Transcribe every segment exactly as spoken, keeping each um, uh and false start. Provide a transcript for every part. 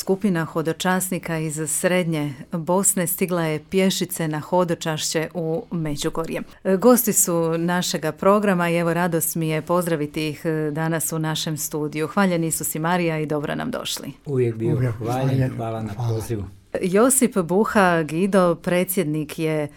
skupina hodočasnika iz srednje Bosne stigla je pješice na hodočašće u Međugorje. Gosti su našega programa i evo radost mi je pozdraviti ih danas u našem studiju. Hvaljeni Isus i Marija i dobro nam došli. Uvijek bio hvaljen, hvala na pozivu. Josip Buha Gido, predsjednik je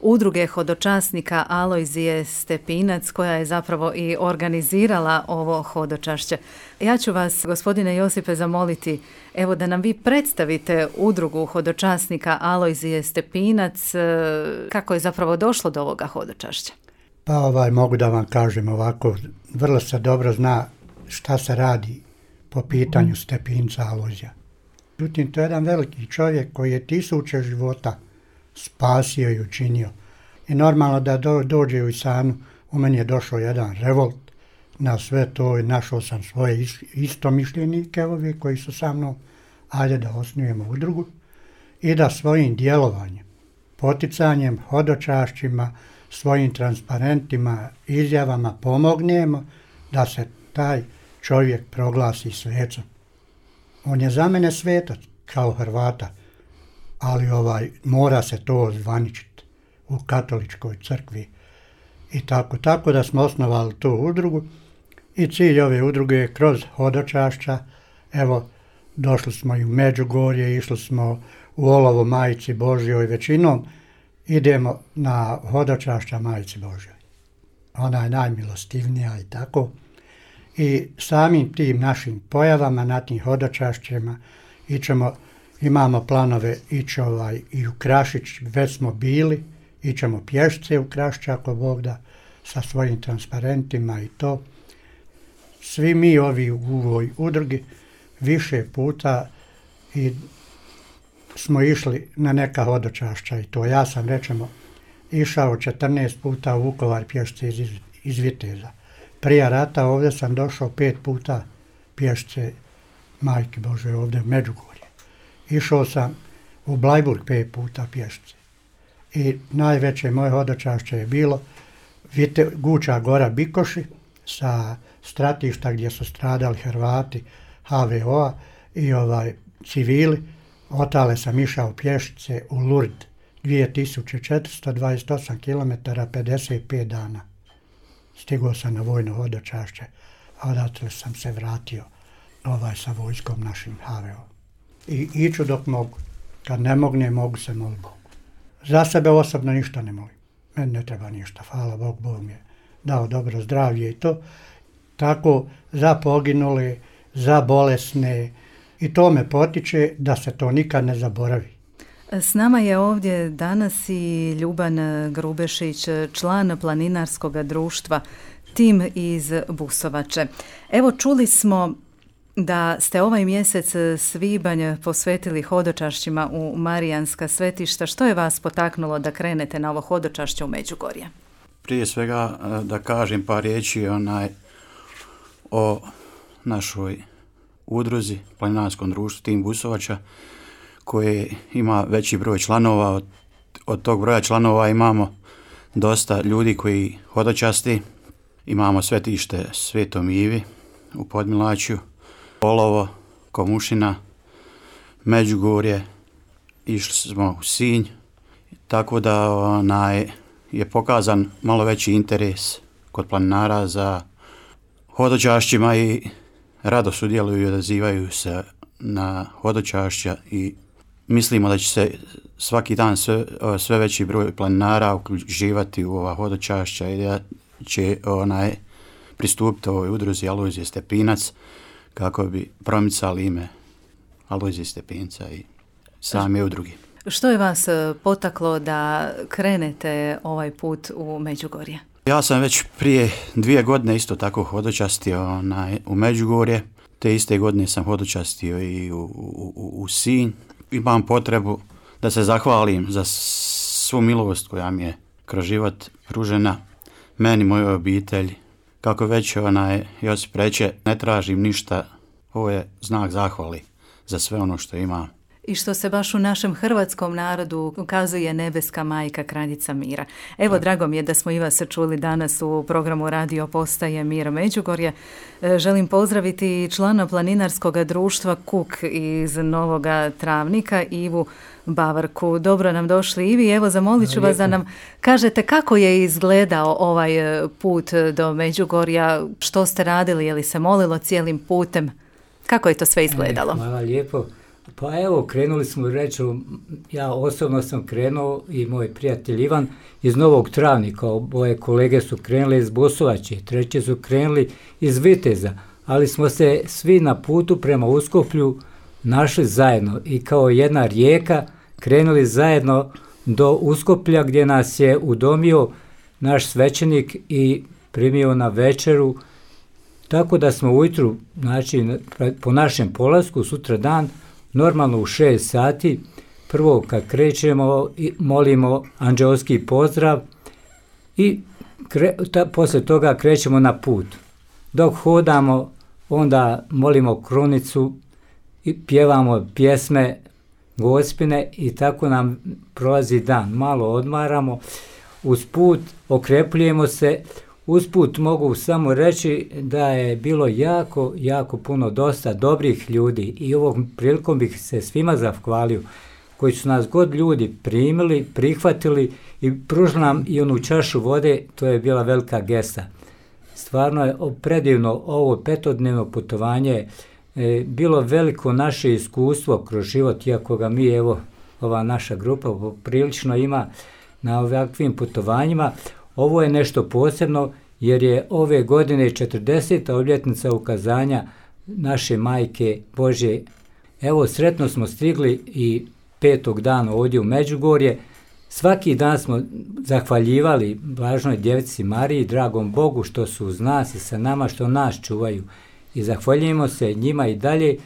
Udruge hodočasnika Alojzije Stepinac, koja je zapravo i organizirala ovo hodočašće. Ja ću vas, gospodine Josipe, zamoliti evo da nam vi predstavite Udrugu hodočasnika Alojzije Stepinac, kako je zapravo došlo do ovoga hodočašća. Pa ovaj, mogu da vam kažem ovako, vrlo se dobro zna šta se radi po pitanju Stepinca Alojzija. Međutim, to je jedan veliki čovjek koji je tisuće života spasio i učinio. I normalno da do, dođe u Isanu, u meni je došao jedan revolt na sve to i našao sam svoje istomišljenike ovi koji su sa mnom, ajde da osnujemo udrugu i da svojim djelovanjem, poticanjem, hodočašćima, svojim transparentima, izjavama pomognemo da se taj čovjek proglasi svecom. On je za mene svetac kao Hrvata, ali ovaj mora se to ozvaničiti u katoličkoj crkvi i tako, tako da smo osnovali tu udrugu i cilj ove udruge je kroz hodočašća, evo došli smo i u Međugorje, išli smo u Olovo Majici Božjoj, većinom idemo na hodočašća Majici Božjoj. Ona je najmilostivnija i tako. I samim tim našim pojavama na tim hodočašćima ićemo, imamo planove ići ovaj i u Krašić, već smo bili, ićemo pješce u Krašić ako Bog da, sa svojim transparentima i to. Svi mi ovi u ovoj udrugi više puta i smo išli na neka hodočašća i to. Ja sam rečemo išao četrnaest puta u Vukovar pješce iz, iz Viteza. Prije rata ovdje sam došao pet puta pješce Majke Bože ovdje u Međugorje. Išao sam u Blajburg pet puta pješce. I najveće moje hodočašće je bilo Vite, Guča Gora Bikoši sa stratišta gdje su stradali Hrvati ha ve o-a i ovaj civili. Otale sam išao pješice u Lurd dvije tisuće četiristo dvadeset osam kilometara, pedeset pet dana. Stigao sam na vojno hodočašće, a odatle sam se vratio ovaj sa vojskom našim ha ve o. I iću dok mogu. Kad ne mogne, mogu se moliti Bogu. Za sebe osobno ništa ne molim. Meni ne treba ništa. Hvala Bog, Bog mi je dao dobro zdravlje i to. Tako za poginule, za bolesne i to me potiče da se to nikad ne zaboravi. S nama je ovdje danas i Ljuban Grubešić, član planinarskog društva Tim iz Busovače. Evo čuli smo da ste ovaj mjesec svibanj posvetili hodočašćima u Marijanska svetišta. Što je vas potaknulo da krenete na ovo hodočašće u Međugorje? Prije svega da kažem par riječi onaj, o našoj udruzi, planinarskom društvu Tim Busovača, koje ima veći broj članova. Od, od tog broja članova imamo dosta ljudi koji hodočasti. Imamo svetište Svetom Ivi u Podmilaću, Olovo, Komušina, Međugorje, išli smo u Sinj, tako da onaj, je pokazan malo veći interes kod planinara za hodočašćima i rado sudjeluju i odazivaju se na hodočašća i mislimo da će se svaki dan sve, sve veći broj planinara uključivati u ova hodočašća i da će onaj, pristupiti ovoj udruzi Alojzije Stepinac kako bi promicali ime Alojzije Stepinca i same udruge. Što je vas potaklo da krenete ovaj put u Međugorje? Ja sam već prije dvije godine isto tako hodočastio onaj, u Međugorje. Te iste godine sam hodočastio i u, u, u Sinj. Imam potrebu da se zahvalim za svu milost koja mi je kroz život pružena meni, mojoj obitelji. Kako već onaj Josip reče, ne tražim ništa, ovo je znak zahvali za sve ono što imam. i što se baš u našem hrvatskom narodu ukazuje nebeska majka, kraljica mira. Evo, da. Drago mi je da smo i vas čuli danas u programu Radio Postaje Mir Međugorje. Želim pozdraviti člana planinarskog društva Kuk iz Novoga Travnika, Ivu Bavarku. Dobro nam došli, Ivi. Evo, zamolit ću vas da nam kažete kako je izgledao ovaj put do Međugorja, što ste radili, je li se molilo cijelim putem, kako je to sve izgledalo? Hvala lijepo. Pa evo, krenuli smo, reći, ja osobno sam krenuo i moj prijatelj Ivan iz Novog Travnika, moje kolege su krenuli iz Busovače, treći su krenuli iz Viteza, ali smo se svi na putu prema Uskoplju našli zajedno i kao jedna rijeka krenuli zajedno do Uskoplja gdje nas je udomio naš svećenik i primio na večeru, tako da smo ujutru, znači po našem polasku, sutra dan, normalno u šest sati, prvo kad krećemo molimo anđeoski pozdrav i kre, ta, poslije toga krećemo na put. Dok hodamo, onda molimo krunicu i pjevamo pjesme gospine i tako nam prolazi dan. Malo odmaramo, uz put okrepljujemo se. Usput mogu samo reći da je bilo jako, jako puno dosta dobrih ljudi i ovom prilikom bih se svima zahvalio koji su nas god ljudi primili, prihvatili i pružili nam i onu čašu vode, to je bila velika gesta. Stvarno je predivno ovo petodnevno putovanje, e, bilo veliko naše iskustvo kroz život, iako ga mi, evo, ova naša grupa prilično ima na ovakvim putovanjima. Ovo je nešto posebno jer je ove godine četrdeseta obljetnica ukazanja naše Majke Božje. Evo, sretno smo stigli i petog dana ovdje u Međugorje. Svaki dan smo zahvaljivali Blažnoj Djevici Mariji, dragom Bogu što su uz nas i sa nama, što nas čuvaju. I zahvaljujemo se njima i dalje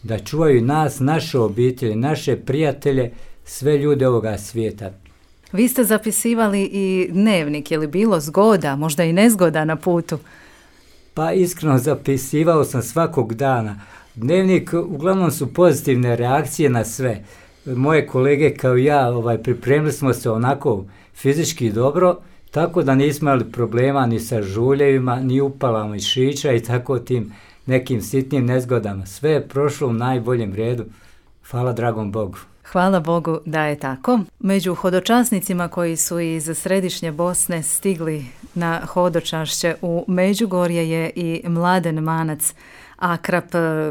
da čuvaju nas, naše obitelji, naše prijatelje, sve ljude ovoga svijeta. Vi ste zapisivali i dnevnik, je li bilo zgoda, možda i nezgoda na putu? Pa iskreno zapisivao sam svakog dana. Dnevnik, uglavnom su pozitivne reakcije na sve. Moje kolege kao ja ovaj, pripremili smo se onako fizički dobro, tako da nismo imali problema ni sa žuljevima, ni upalama mišića i tako tim nekim sitnim nezgodama. Sve je prošlo u najboljem redu. Hvala dragom Bogu. Hvala Bogu da je tako. Među hodočasnicima koji su iz središnje Bosne stigli na hodočašće u Međugorje je i Mladen Manac Akrap,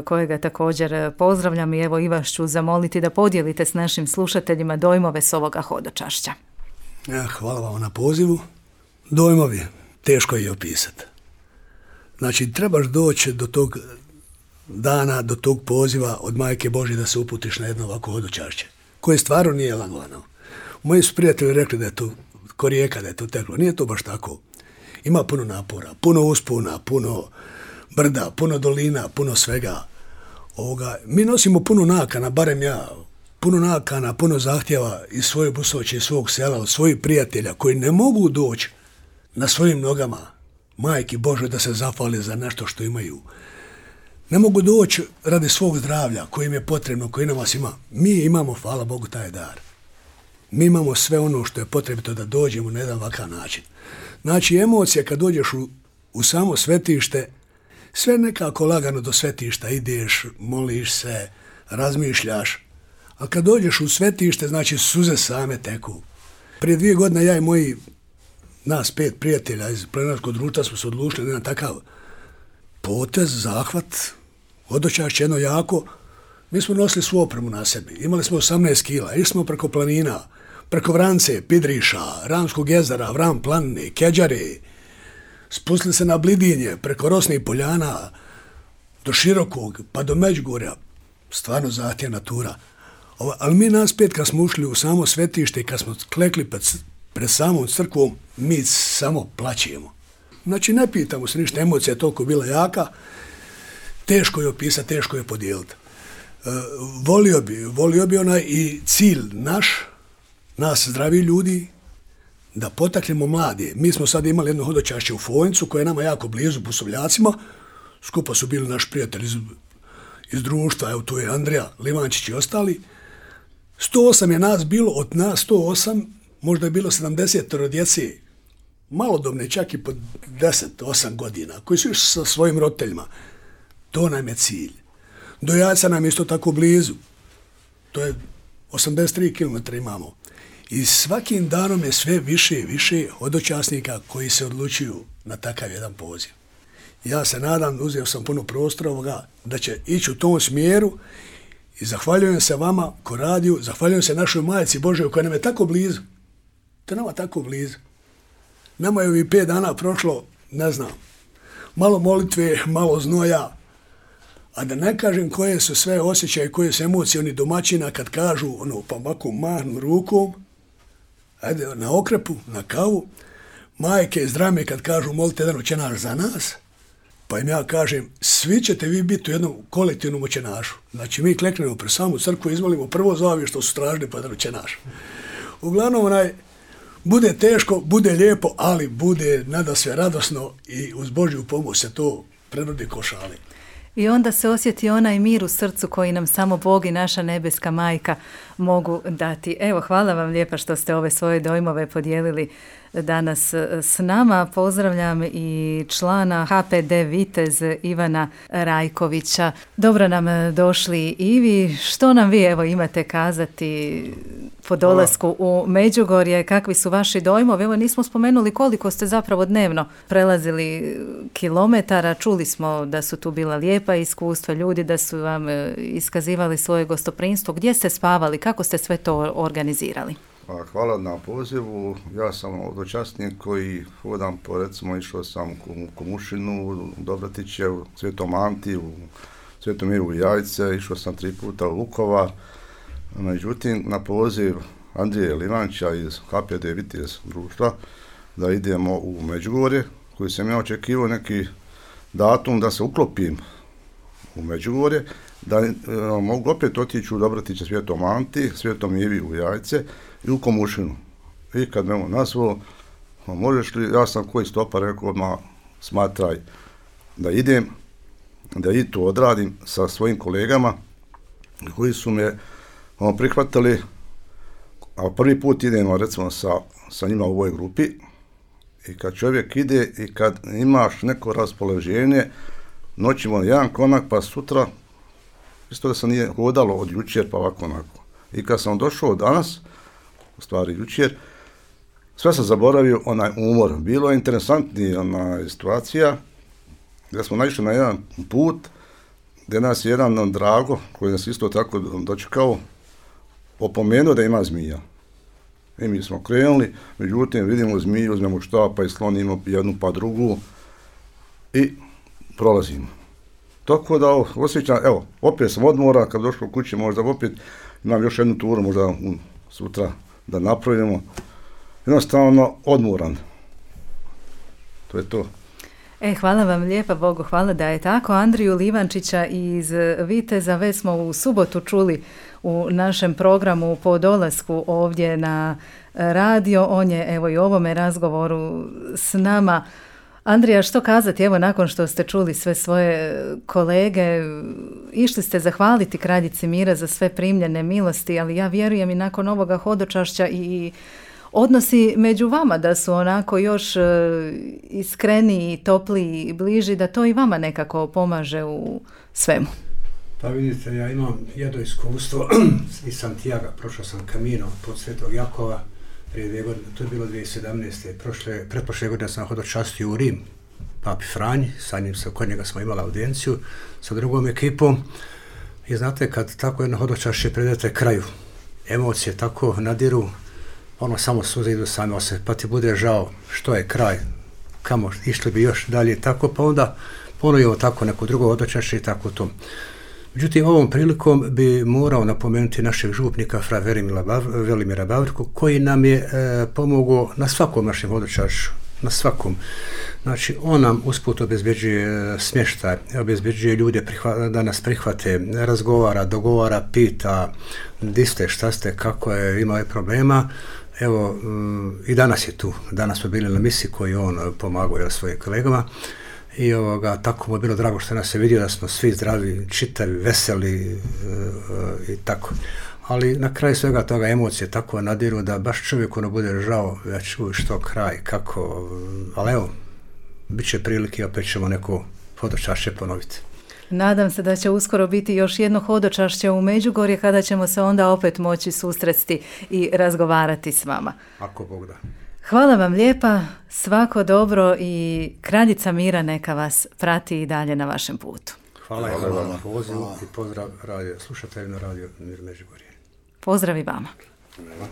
kojega također pozdravljam i evo i vas ću zamoliti da podijelite s našim slušateljima dojmove s ovoga hodočašća. Ja, hvala vam na pozivu. Dojmovi, teško je opisati. Znači, trebaš doći do tog dana, do tog poziva od Majke Božje da se uputiš na jedno ovako hodočašće, koje stvarno nije lagano. Moji su prijatelji rekli da je to ko rijeka, da je to teklo. Nije to baš tako. Ima puno napora, puno uspona, puno brda, puno dolina, puno svega. Ovoga, mi nosimo puno nakana, barem ja, puno nakana, puno zahtjeva iz svoje Busovače, iz svog sela, od svojih prijatelja koji ne mogu doći na svojim nogama Majki Božoj da se zahvale za nešto što imaju. Ne mogu doći radi svog zdravlja koji im je potrebno, koji nam vas ima. Mi imamo, hvala Bogu, taj dar. Mi imamo sve ono što je potrebito da dođemo na jedan ovakav način. Znači, emocije kad dođeš u, u samo svetište, sve nekako lagano do svetišta ideš, moliš se, razmišljaš. A kad dođeš u svetište, znači suze same teku. Prije dvije godine ja i moji, nas pet prijatelja iz planinarskog društva smo se odlučili na takav potez, zahvat, hodočašće jedno jako. Mi smo nosili svu opremu na sebi. Imali smo osamnaest kila. Išli smo preko planina, preko Vrance, Pidriša, Ramskog jezera, Vram planine, Keđare. Spustili se na Blidinje, preko Rosnih poljana, do Širokog, pa do Međugorja. Stvarno zahtjevna tura. Ali mi nas pet kad smo ušli u samo svetište i kad smo klekli pred, pred samom crkvom, mi samo plaćemo. Znači, ne pitamo se ništa, emocija je toliko bila jaka, teško je opisati, teško je podijeliti. E, volio bi, volio bi onaj i cilj naš, nas zdravi ljudi, da potaknemo mlade. Mi smo sad imali jedno hodočašće u Fojnicu, koje je nama jako blizu, Busovljacima, skupa su bili naš prijatelji iz, iz društva, evo tu je Andrija Livančić i ostali. sto osam je nas bilo, od nas sto osam, možda je bilo sedamdeset djece, malodobne, čak i po deset osam godina, koji su išli sa svojim roditeljima. To nam je cilj. Do Jajca nam je isto tako blizu. To je osamdeset tri kilometra imamo. I svakim danom je sve više i više hodočasnika koji se odlučuju na takav jedan poziv. Ja se nadam, uzeo sam puno prostora ovoga, da će ići u tom smjeru i zahvaljujem se vama ko radiju, zahvaljujem se našoj Majci Božoj koja nam je tako blizu. To je nama tako blizu. Nama je ovih pet dana prošlo, ne znam, malo molitve, malo znoja, a da ne kažem koje su sve osjećaje, koje su emocije oni domaćina kad kažu, ono, pa ovako mahnu rukom, ajde, na okrepu, na kavu, majke iz drame kad kažu molite jedan očenaš za nas, pa im ja kažem, svi ćete vi biti u jednom kolektivnom očenašu. Znači, mi kleknemo pre samu crkvu i izmolimo prvo za ove što su stražni pa jedan očenaš. Uglavnom, onaj, bude teško, bude lijepo, ali bude nada sve radosno i uz Božju pomoć se to prebrodi ko šale. I onda se osjeti onaj mir u srcu koji nam samo Bog i naša nebeska majka mogu dati. Evo, hvala vam lijepa što ste ove svoje dojmove podijelili danas s nama. Pozdravljam i člana H P D Vitez Ivana Rajkovića. Dobro nam došli i vi. Što nam vi evo imate kazati po dolasku u Međugorje? Kakvi su vaši dojmovi? Evo, nismo spomenuli koliko ste zapravo dnevno prelazili kilometara. Čuli smo da su tu bila lijepa iskustva, ljudi da su vam iskazivali svoje gostoprinstvo. Gdje ste spavali? Kako ste sve to organizirali? Hvala na pozivu. Ja sam hodočasnik koji hodam po, recimo, išao sam u Komušinu, u Dobratiće, u Svetom Anti, u Svetom Miru u Jajce, išao sam tri puta u Vukovar. Međutim, na poziv Andrije Livančića iz H P D Vitez društva da idemo u Međugorje, koji sam ja očekivao neki datum da se uklopim u Međugorje, da e, mogu opet otići u Dobratiće, Svetom Anti, Svetom Ivi u Jajce i u Komušinu. I kad me on nazvao, možeš li, ja sam koji stopa rekao, odmah smatraj da idem, da i to odradim sa svojim kolegama koji su me on, prihvatili, a prvi put idemo recimo sa, sa njima u ovoj grupi i kad čovjek ide i kad imaš neko raspoloženje, noćimo jedan konak pa sutra, isto da se nije hodalo od jučer pa ovako onako. I kad sam došao danas, u stvari jučer, sve sam zaboravio onaj umor. Bilo je interesantnija ona situacija gdje smo naišli na jedan put gdje nas je jedan Drago, koji nas isto tako dočekao, opomenuo da ima zmija. I mi smo krenuli, međutim vidimo zmiju, uzmemo štapa i slonimo jednu pa drugu i prolazimo. Tako da osjećam, evo, opet sam odmora, kad došlo kući možda opet imam još jednu turu, možda um, sutra da napravimo. Jednostavno odmoran. To je to. E, hvala vam lijepa, Bogu hvala da je tako. Andriju Livančića iz Viteza već smo u subotu čuli u našem programu po dolasku ovdje na radio. On je evo i u ovome razgovoru s nama. Andrija, što kazati, evo nakon što ste čuli sve svoje kolege, išli ste zahvaliti Kraljici mira za sve primljene milosti, ali ja vjerujem i nakon ovoga hodočašća i odnosi među vama da su onako još iskreniji, topliji i bliži, da to i vama nekako pomaže u svemu. Pa vidite, ja imam jedno iskustvo iz Santiaga, prošao sam Camino pod Svetog Jakova, prije dvije godine, to je bilo dvije tisuće sedamnaeste. Prošle, pretprošle godine sam hodočastio u Rim, Papi Franji, sa njim se, kod njega smo imali audienciju sa drugom ekipom. I znate, kad tako jedno hodočašće predete kraju, emocije tako nadiru, ono samo suze idu same ose, pa ti bude žao što je kraj, kamo išli bi još dalje, tako, pa onda ponovimo tako neko drugo hodočašće i tako to. Međutim, ovom prilikom bi morao napomenuti našeg župnika, fra Velimira Bavrku, koji nam je e, pomogao na svakom našem hodočašću, na svakom. Znači, on nam usput obezbeđuje smještaj, obezbeđuje ljude prihva, da nas prihvate, razgovara, dogovara, pita di ste, šta ste, kako je, imao je problema. Evo, m, i danas je tu. Danas smo bili na misiji koju on pomagao svojim kolegama. I ovoga, tako mu je bilo drago što nas je vidio da smo svi zdravi, čitavi, veseli e, e, i tako. ali na kraju svega toga emocije tako nadiru da baš čovjek ono bude žao, već uj, što kraj, kako, ali evo, bit će prilike, opet ćemo neko hodočašće ponoviti. Nadam se da će uskoro biti još jedno hodočašće u Međugorje kada ćemo se onda opet moći susresti i razgovarati s vama. Ako Bog da. Hvala vam lijepa, svako dobro i kraljica mira neka vas prati i dalje na vašem putu. Hvala, Hvala vam na pozivu i pozdrav radio, slušateljima Radio Mir Međugorje. Pozdrav i vama. Hvala.